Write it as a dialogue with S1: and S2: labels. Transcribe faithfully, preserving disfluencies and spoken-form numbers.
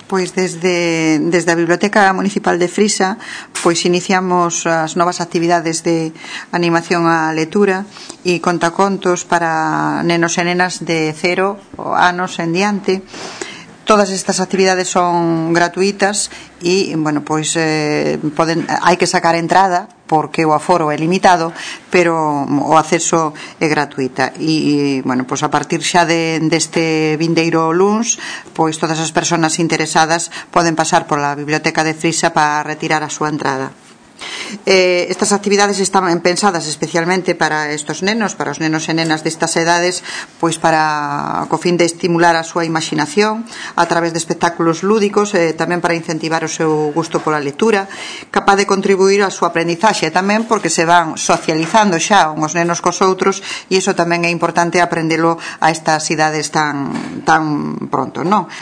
S1: Pois desde, desde a Biblioteca Municipal de Frisa pois iniciamos as novas actividades de animación á lectura e contacontos para nenos e nenas de cero anos en diante. Todas estas actividades son gratuitas e, bueno, pois eh, poden, hai que sacar entrada porque o aforo é limitado, pero o acceso é gratuita e, bueno, pois a partir xa de, deste vindeiro luns, pois todas as persoas interesadas poden pasar pola Biblioteca de Frisa para retirar a súa entrada. Eh, estas actividades están pensadas especialmente para estos nenos, para os nenos e nenas destas edades, pois para co fin de estimular a súa imaginación a través de espectáculos lúdicos, e eh, tamén para incentivar o seu gusto pola lectura, capaz de contribuir á súa aprendizaxe, tamén porque se van socializando xa uns nenos cos outros, e iso tamén é importante aprendelo a estas idades tan tan pronto, non?